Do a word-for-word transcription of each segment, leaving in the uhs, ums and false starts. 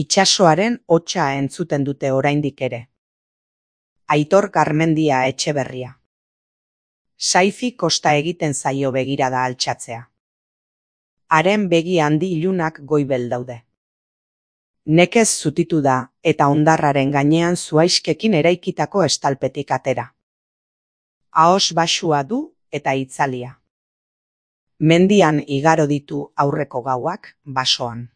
Itsasoaren hotsa entzuten dute oraindik ere. Aitor Garmendia Etxeberria. Saifi kosta egiten zaio begirada altxatzea. Haren begi handi ilunak goibel daude. Nekez zutitu da eta hondarraren gainean zuaiskekin eraikitako estalpetik atera. Ahos baxua du eta itzalia. Mendian igaro ditu aurreko gauak basoan.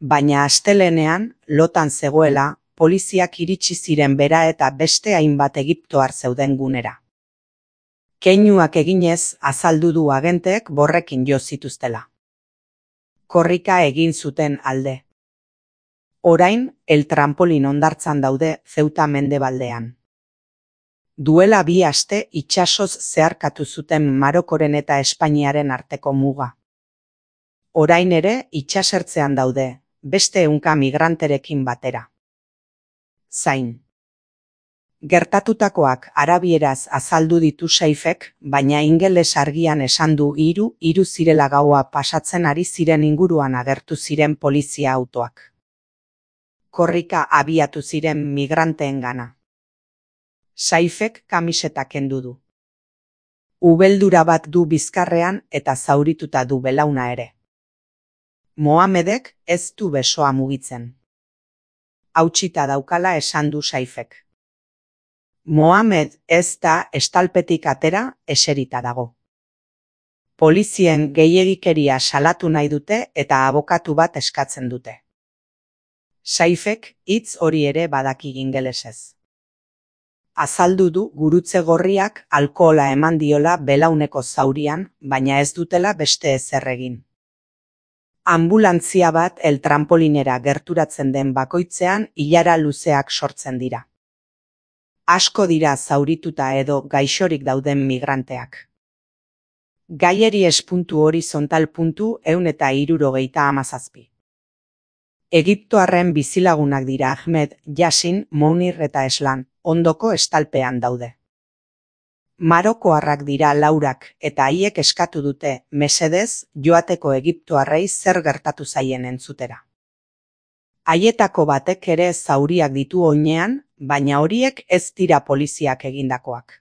Baina astelehenean, lotan zegoela, poliziak iritsi ziren bera eta beste hainbat egiptoar zeuden gunera. Keinuak eginez azaldu du agenteek borrekin jo zituztela. Korrika egin zuten alde. Orain, el trampolin hondartzan daude Zeuta mendebaldean. Duela bi aste itsasoz zeharkatu zuten Marokoren eta Espainiaren arteko muga. Orain ere itsasertzean daude, beste ehunka migranterekin batera. Zain. Gertatutakoak arabieraz azaldu ditu Saifek, baina ingeles argian esan du hiru hiru zirela gaua pasatzen ari ziren inguruan agertu ziren polizia autoak. Korrika abiatu ziren migranteengana. Saifek kamiseta kendu du. Ubeldura bat du bizkarrean eta zaurituta du belauna ere. Mohamedek ez du besoa mugitzen. Hautsita daukala esan du Saifek. Mohamed ez da estalpetik atera, eserita dago. Polizien gehiegikeria salatu nahi dute eta abokatu bat eskatzen dute. Saifek hitz hori ere badaki ingelesez. Azaldu du gurutze gorriak alkohola eman diola belauneko zaurian, baina ez dutela beste ezer egin. Anbulantzia bat el trampolinera gerturatzen den bakoitzean ilara luzeak sortzen dira. Asko dira zaurituta edo gaixorik dauden migranteak. Gaieri espuntu horizontal puntu ehun eta hirurogeita hamazazpi. Egiptoarren bizilagunak dira Ahmed, Yasin, Mounir eta Eslan, ondoko estalpean daude. Marokoarrak dira laurak eta haiek eskatu dute, mesedez, joateko egiptoarrei zer gertatu zaien entzutera. Haietako batek ere zauriak ditu oinean, baina horiek ez dira poliziak egindakoak.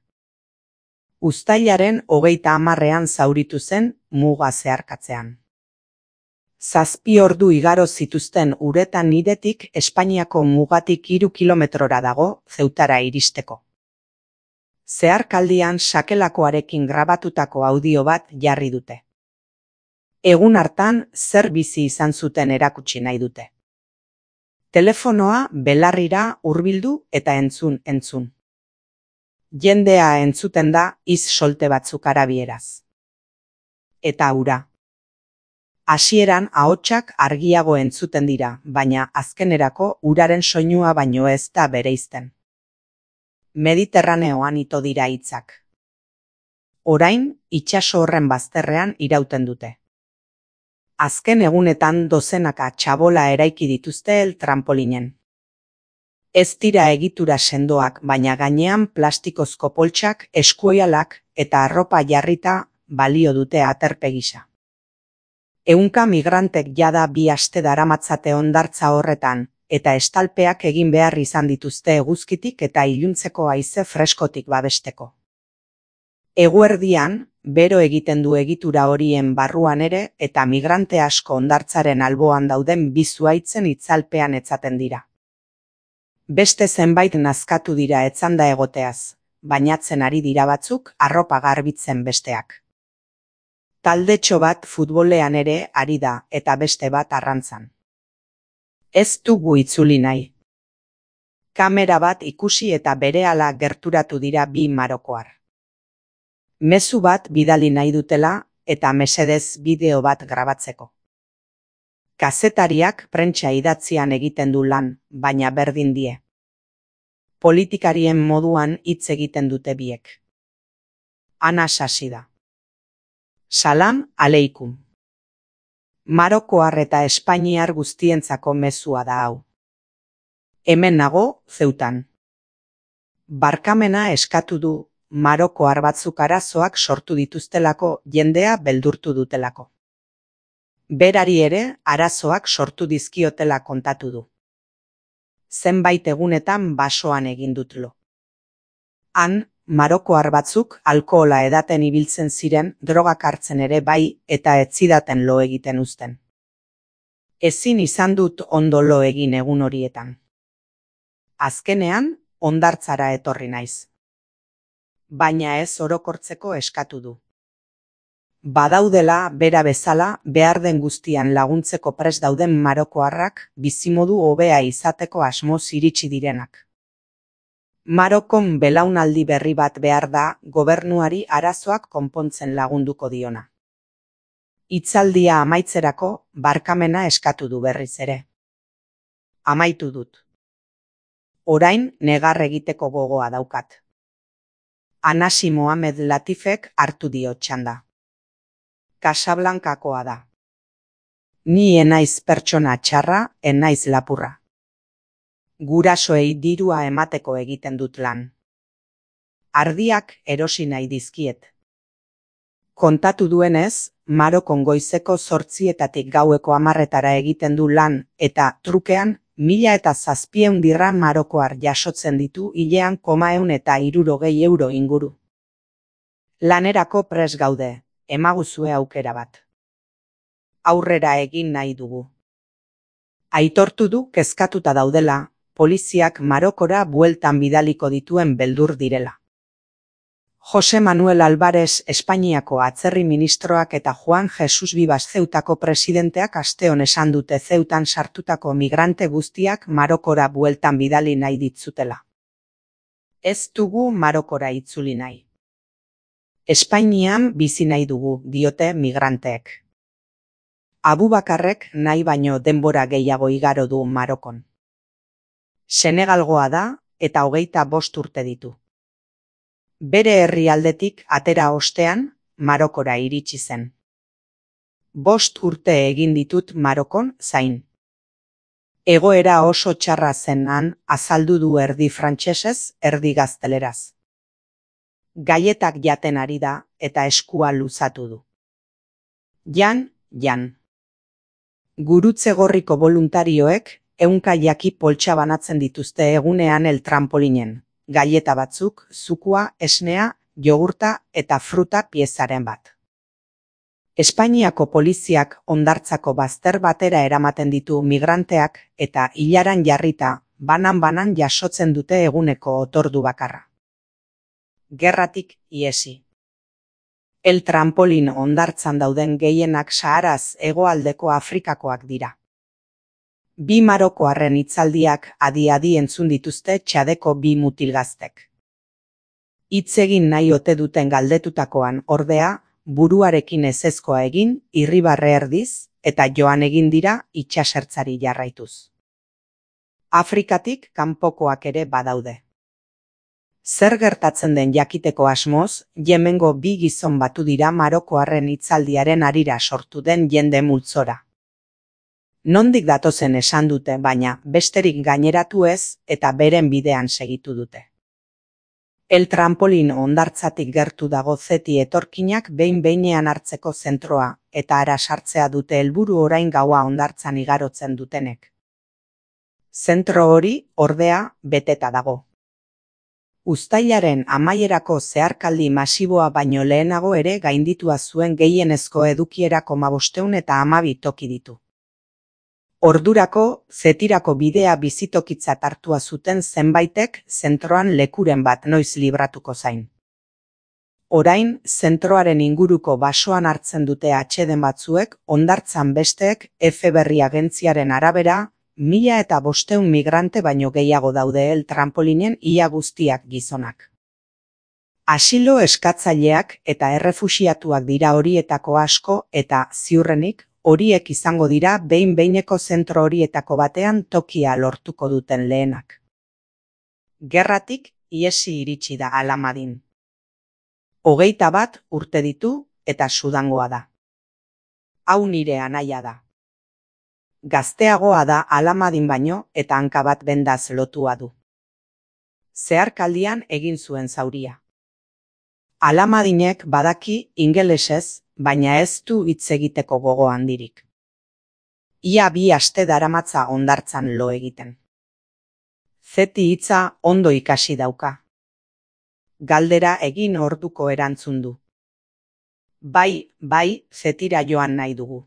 Uztailaren hogeita hamarrean zauritu zen muga zeharkatzean. Zazpi ordu igaro zituzten uretan nidetik Espainiako mugatik hiru kilometrora dago Zeutara iristeko. Zeharkaldian sakelakoarekin grabatutako audio bat jarri dute. Egun hartan zer bizi izan zuten erakutsi nahi dute. Telefonoa belarrira hurbildu eta entzun entzun. Jendea entzuten da iz solte batzuk arabieraz. Eta ura. Hasieran ahotsak argiago entzuten dira, baina azkenerako uraren soinua baino ez da bereizten. Mediterraneoan ito dira hitzak. Orain, itsaso horren bazterrean irauten dute. Azken egunetan dozenaka txabola eraiki dituzte el trampolinen. Ez dira egitura sendoak, baina gainean plastikozko poltsak, eskuoialak eta arropa jarrita balio dute aterpe gisa. Ehunka migrantek jada bi aste daramatzate hondartza horretan, eta estalpeak egin behar izan dituzte eguzkitik eta iluntzeko haize freskotik babesteko. Eguerdian, bero egiten du egitura horien barruan ere eta migrante asko hondartzaren alboan dauden bi zuhaitzen itzalpean etzaten dira. Beste zenbait nazkatu dira etzanda egoteaz, bainatzen ari dira batzuk arropa garbitzen besteak. Taldetxo bat futbolean ere ari da eta beste bat arrantzan. Ez dugu itzuli nahi. Kamera bat ikusi eta berehala gerturatu dira bi marokoar. Mezu bat bidali nahi dutela eta mesedez bideo bat grabatzeko. Kazetariak prentsa idatzian egiten du lan, baina berdin die. Politikarien moduan hitz egiten dute biek. Ana sasi da. Salam aleikum. Marokoar eta espainiar guztientzako mezua da hau. Hemen nago, Zeutan. Barkamena eskatu du, marokoar batzuk arazoak sortu dituztelako jendea beldurtu dutelako. Berari ere arazoak sortu dizkiotela kontatu du. Zenbait egunetan basoan egin dut lo. Han, marokoar batzuk alkohola edaten ibiltzen ziren, drogak hartzen ere bai eta ez zidaten lo egiten uzten. Ezin izan dut ondo lo egin egun horietan. Azkenean, hondartzara etorri naiz. Baina ez orokortzeko eskatu du. Badaudela, bera bezala, behar den guztian laguntzeko prest dauden marokoarrak bizimodu hobea izateko asmoz iritsi direnak. Marokon belaunaldi berri bat behar da gobernuari arazoak konpontzen lagunduko diona. Hitzaldia amaitzerako barkamena eskatu du berriz ere. Amaitu dut. Orain negar egiteko gogoa daukat. Anasi Mohamed Latifek hartu dio txanda. Casablancakoa da. Ni enaiz pertsona txarra, enaiz lapurra. Gurasoei dirua emateko egiten dut lan. Ardiak erosi nahi dizkiet. Kontatu duenez, Marokon goizeko zortzietatik gaueko hamarretara egiten du lan eta trukean mila eta zazpieun dirham marokoar jasotzen ditu hilean komaeun eta hirurogei euro inguru. Lanerako pres gaude, emaguzue aukera bat. Aurrera egin nahi dugu. Aitortu du kezkatuta daudela, poliziak Marokora bueltan bidaliko dituen beldur direla. Jose Manuel Alvarez Espainiako atzerri ministroak eta Juan Jesus Vivas Zeutako presidenteak asteon esan dute Zeutan sartutako migrante guztiak Marokora bueltan bidali nahi ditzutela. Ez dugu Marokora itzuli nahi. Espainian bizi nahi dugu, diote migranteek. Abubakarrek nahi baino denbora gehiago igaro du Marokon. Senegalgoa da eta hogeita bost urte ditu. Bere herrialdetik atera ostean, Marokora iritsi zen. Bost urte egin ditut Marokon zain. Egoera oso txarra zen han, azaldu du erdi frantsesez, erdi gazteleraz. Gaietak jaten ari da eta eskua luzatu du. Jan, jan. Gurutze gorriko boluntarioek ehunka jaki poltsa banatzen dituzte egunean el trampolinen. Gaieta batzuk, zukua, esnea, jogurta eta fruta piezaren bat. Espainiako poliziak hondartzako bazter batera eramaten ditu migranteak eta ilaran jarrita, banan-banan jasotzen dute eguneko otordu bakarra. Gerratik iesi. El trampolin hondartzan dauden gehienak Saharaz hegoaldeko Afrikakoak dira. Bi marokoarren hitzaldiak adi-adi entzun dituzte Txadeko bi mutilgaztek. Hitz egin nahi ote duten galdetutakoan ordea, buruarekin ezezkoa egin, irribarre erdiz, eta joan egin dira itsasertzari jarraituz. Afrikatik kanpokoak ere badaude. Zer gertatzen den jakiteko asmoz, Yemengo bi gizon batu dira marokoarren hitzaldiaren harira sortu den jende multzora. Nondik datozen esan dute, baina besterik gaineratu ez eta beren bidean segitu dute. El trampolin hondartzatik gertu dago zeti etorkinak behin-behinean hartzeko zentroa eta ara sartzea dute helburu orain gaua hondartzan igarotzen dutenek. Zentro hori, ordea, beteta dago. Uztailaren amaierako zeharkaldi masiboa baino lehenago ere gainditua zuen gehienezko edukierako hamabosteun eta hamabi toki ditu. Ordurako, zetirako bidea bizitokitzat hartua zuten zenbaitek zentroan lekuren bat noiz libratuko zain. Orain, zentroaren inguruko basoan hartzen dute atseden batzuek, hondartzan besteek F berri agentziaren arabera, mila eta bosteun migrante baino gehiago daude el trampolinen ia guztiak gizonak. Asilo eskatzaileak eta errefuxiatuak dira horietako asko eta, ziurrenik, horiek izango dira behin-behineko zentro horietako batean tokia lortuko duten lehenak. Gerratik iesi iritsi da Alamadin. Hogeita bat urte ditu eta Sudangoa da. Hau nire anaia da. Gazteagoa da Alamadin baino eta hanka bat bendaz lotua du. Zeharkaldian egin zuen zauria. Alamadinek badaki ingelesez, baina ez du hitz egiteko gogo handirik. Ia bi aste daramatza hondartzan lo egiten. Zeti hitza ondo ikasi dauka. Galdera egin orduko erantzun du. Bai, bai, zetira joan nahi dugu.